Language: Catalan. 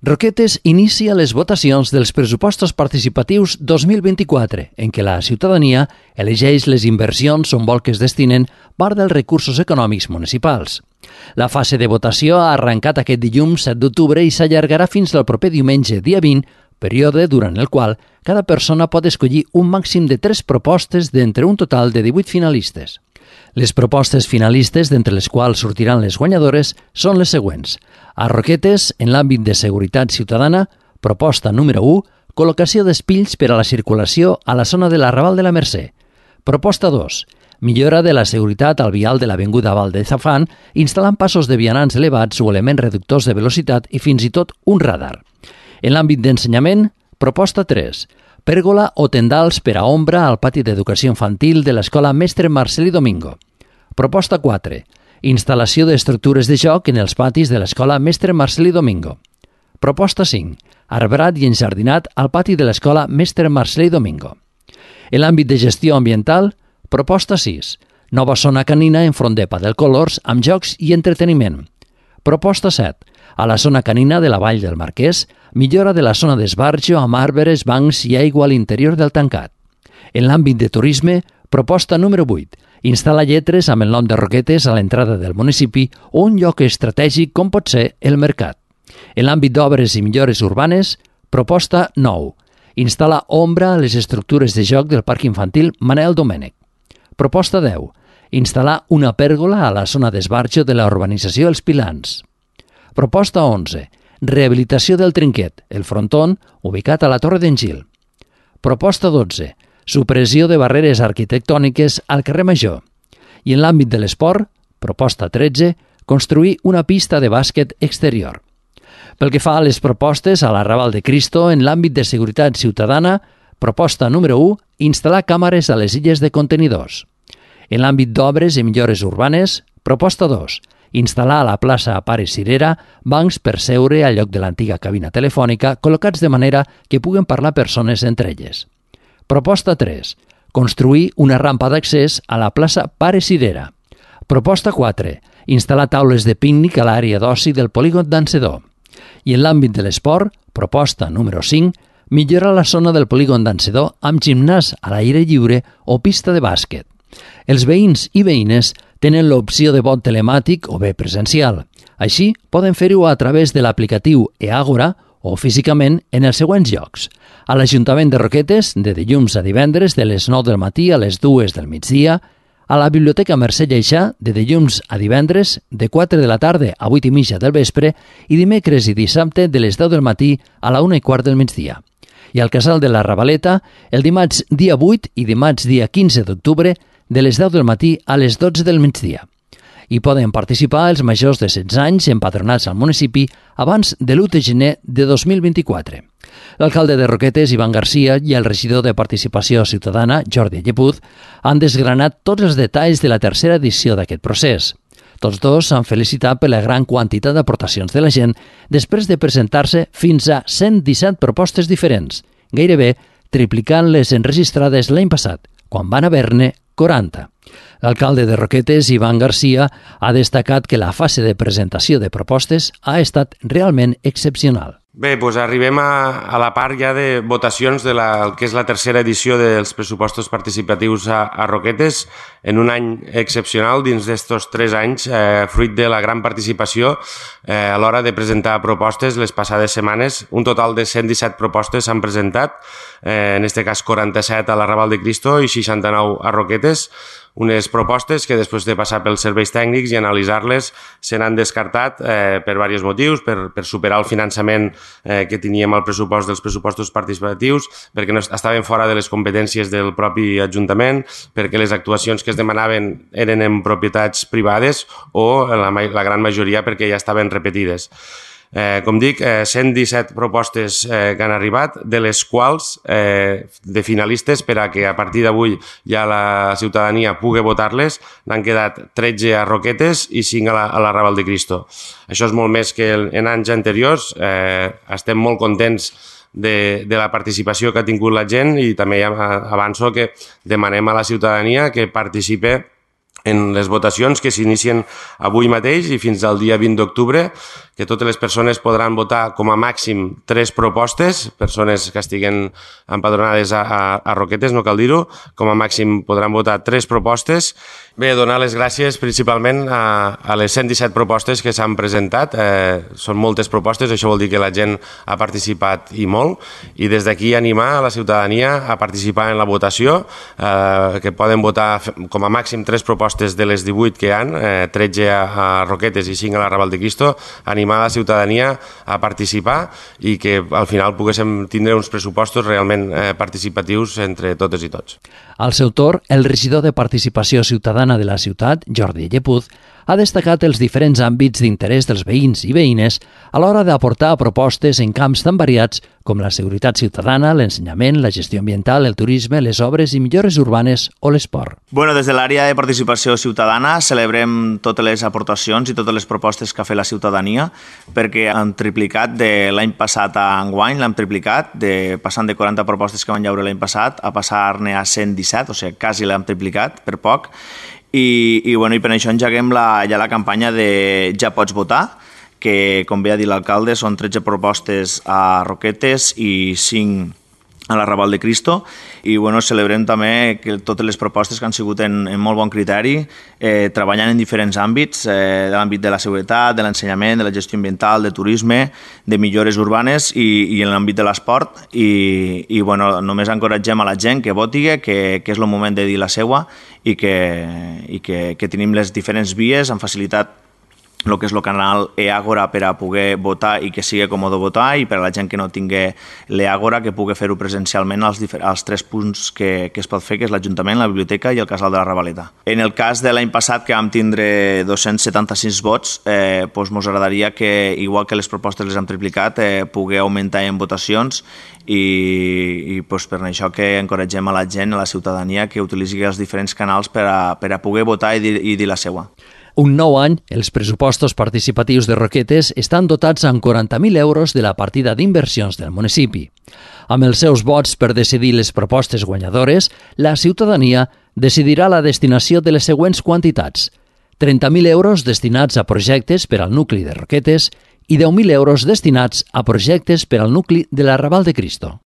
Roquetes inicia les votacions dels pressupostos participatius 2024, en què la ciutadania elegeix les inversions on vol que es destinen part dels recursos econòmics municipals. La fase de votació ha arrencat aquest dilluns 7 d'octubre i s'allargarà fins al proper diumenge, dia 20, període durant el qual cada persona pot escollir un màxim de 3 propostes d'entre un total de 18 finalistes. Les propostes finalistes, d'entre les quals sortiran les guanyadores, són les següents. A Roquetes, en l'àmbit de seguretat ciutadana, proposta número 1, col·locació d'espills per a la circulació a la zona de l'Arrabal de la Mercè. Proposta 2, millora de la seguretat al vial de l'Avinguda Val de Zafán, instal·lant passos de vianants elevats o elements reductors de velocitat i fins i tot un radar. En l'àmbit d'ensenyament, proposta 3, pèrgola o tendals per a ombra al pati d'educació infantil de l'Escola Mestre Marcelí Domingo. Proposta 4. Instal·lació d'estructures de joc en els patis de l'Escola Mestre Marcelí Domingo. Proposta 5. Arbrat i enjardinat al pati de l'Escola Mestre Marcelí Domingo. En l'àmbit de gestió ambiental, proposta 6. Nova zona canina enfront de Padel Colors amb jocs i entreteniment. Proposta 7. A la zona canina de la Vall del Marquès, millora de la zona d'esbarjo amb arbres, bancs i aigua a l'interior del tancat. En l'àmbit de turisme, proposta número 8. Instal·la lletres amb el nom de Roquetes a l'entrada del municipi o un lloc estratègic com pot ser el mercat. En l'àmbit d'obres i millores urbanes, proposta 9. Instal·la ombra a les estructures de joc del Parc Infantil Manel Domènech. Proposta 10. Instal·lar una pèrgola a la zona d'esbarjo de la urbanització Els Pilans. Proposta 11. Rehabilitació del Trinquet, el fronton, ubicat a la Torre d'en Gil. Proposta 12. Supressió de barreres arquitectòniques al carrer Major. I en l'àmbit de l'esport, proposta 13, construir una pista de bàsquet exterior. Pel que fa a les propostes a l'Arrabal de Cristo, en l'àmbit de seguretat ciutadana, proposta número 1, instal·lar càmeres a les illes de contenidors. En l'àmbit d'obres i millores urbanes, proposta 2, instal·lar a la plaça Pare Cirera bancs per seure al lloc de l'antiga cabina telefònica col·locats de manera que puguen parlar persones entre elles. Proposta 3. Construir una rampa d'accés a la plaça Pare Cirera. Proposta 4. Instal·lar taules de pícnic a l'àrea d'oci del polígon d'Ancedó. I en l'àmbit de l'esport, proposta número 5. Millorar la zona del polígon d'Ancedó amb gimnàs a l'aire lliure o pista de bàsquet. Els veïns i veïnes tenen l'opció de vot telemàtic o bé presencial. Així, poden fer-ho a través de l'aplicatiu eAgora o físicament en els següents llocs. A l'Ajuntament de Roquetes, de dilluns a divendres, de les 9 del matí a les 2 del migdia, a la Biblioteca Mercè Lleixà, de dilluns a divendres, de 4 de la tarda a 8 i mitja del vespre, i dimecres i dissabte de les 10 del matí a la 1:15 del migdia. I al Casal de la Ravaleta, el dimarts dia 8 i dimarts dia 15 d'octubre, de les 10 del matí a les 12 del migdia. Hi poden participar els majors de 16 anys empadronats al municipi abans de l'1 de gener de 2024. L'alcalde de Roquetes, Ivan Garcia, i el regidor de Participació Ciutadana, Jordi Llepuz, han desgranat tots els detalls de la tercera edició d'aquest procés. Tots dos s'han felicitat per la gran quantitat d'aportacions de la gent després de presentar-se fins a 117 propostes diferents, gairebé triplicant les enregistrades l'any passat, quan van haver-ne 40. L'alcalde de Roquetes, Ivan Garcia, ha destacat que la fase de presentació de propostes ha estat realment excepcional. Bé, doncs arribem a la part ja de votacions de el que és la tercera edició dels pressupostos participatius a Roquetes, en un any excepcional dins d'estos 3 anys, fruit de la gran participació a l'hora de presentar propostes les passades setmanes. Un total de 117 propostes s'han presentat, en aquest cas 47 a l'Arrabal de Cristo i 69 a Roquetes, unes propostes que després de passar pels serveis tècnics i analitzar-les se n'han descartat per diversos motius, per superar el finançament que teníem al pressupost dels pressupostos participatius, perquè no estaven fora de les competències del propi Ajuntament, perquè les actuacions que es demanaven eren en propietats privades o la gran majoria perquè ja estaven repetides. Com dic, 117 propostes que han arribat, de les quals de finalistes per a que a partir d'avui ja la ciutadania pugui votar-les, n'han quedat 13 a Roquetes i 5 a l'Arrabal de Cristo. Això és molt més que en anys anteriors. Estem molt contents de la participació que ha tingut la gent i també avanço que demanem a la ciutadania que participe en les votacions que s'inicien avui mateix i fins al dia 20 d'octubre, que totes les persones podran votar com a màxim 3 propostes, persones que estiguen empadronades a Roquetes, no cal dir-ho, com a màxim podran votar 3 propostes. Bé, donar les gràcies principalment a les 117 propostes que s'han presentat. Són moltes propostes, això vol dir que la gent ha participat i molt, i des d'aquí animar a la ciutadania a participar en la votació, que poden votar com a màxim 3 propostes de les 18 que hi ha, 13 a Roquetes i 5 a la Raval de Cristo, animar la ciutadania a participar i que al final poguéssim tindre uns pressupostos realment participatius entre totes i tots. Al seu torn, el regidor de Participació Ciutadana de la ciutat, Jordi Llepuz, ha destacat els diferents àmbits d'interès dels veïns i veïnes a l'hora d'aportar propostes en camps tan variats com la seguretat ciutadana, l'ensenyament, la gestió ambiental, el turisme, les obres i millores urbanes o l'esport. Des de l'àrea de participació ciutadana celebrem totes les aportacions i totes les propostes que ha fet la ciutadania, perquè han triplicat de l'any passat a enguany, l'hem triplicat, passant de 40 propostes que van llaure l'any passat a passar-ne a 117, o sigui, quasi l'hem triplicat, per poc. I per això engeguem ja la campanya de Ja pots votar, que, com bé ha dit l'alcalde, són 13 propostes a Roquetes i 5 a la Raval de Cristo, i celebrem també que totes les propostes que han sigut en molt bon criteri, treballant en diferents àmbits, de l'àmbit de la seguretat, de l'ensenyament, de la gestió ambiental, de turisme, de millores urbanes i en l'àmbit de l'esport. I només encoratgem a la gent que voti, que és el moment de dir la seua i que tenim les diferents vies amb facilitat, el que és el canal e-Àgora per a poder votar i que sigui còmode votar, i per a la gent que no tingui l'e-Àgora que pugui fer-ho presencialment als 3 punts que es pot fer, que és l'Ajuntament, la Biblioteca i el Casal de la Ravaleta. En el cas de l'any passat, que vam tindre 276 vots, ens agradaria que, igual que les propostes les hem triplicat, pugui augmentar en votacions i per això que encoratgem a la gent, a la ciutadania, que utilitzi els diferents canals per a poder votar i dir la seua. Un nou any, els pressupostos participatius de Roquetes estan dotats amb 40.000 euros de la partida d'inversions del municipi. Amb els seus vots per decidir les propostes guanyadores, la ciutadania decidirà la destinació de les següents quantitats: 30.000 euros destinats a projectes per al nucli de Roquetes i 10.000 euros destinats a projectes per al nucli de la Raval de Cristo.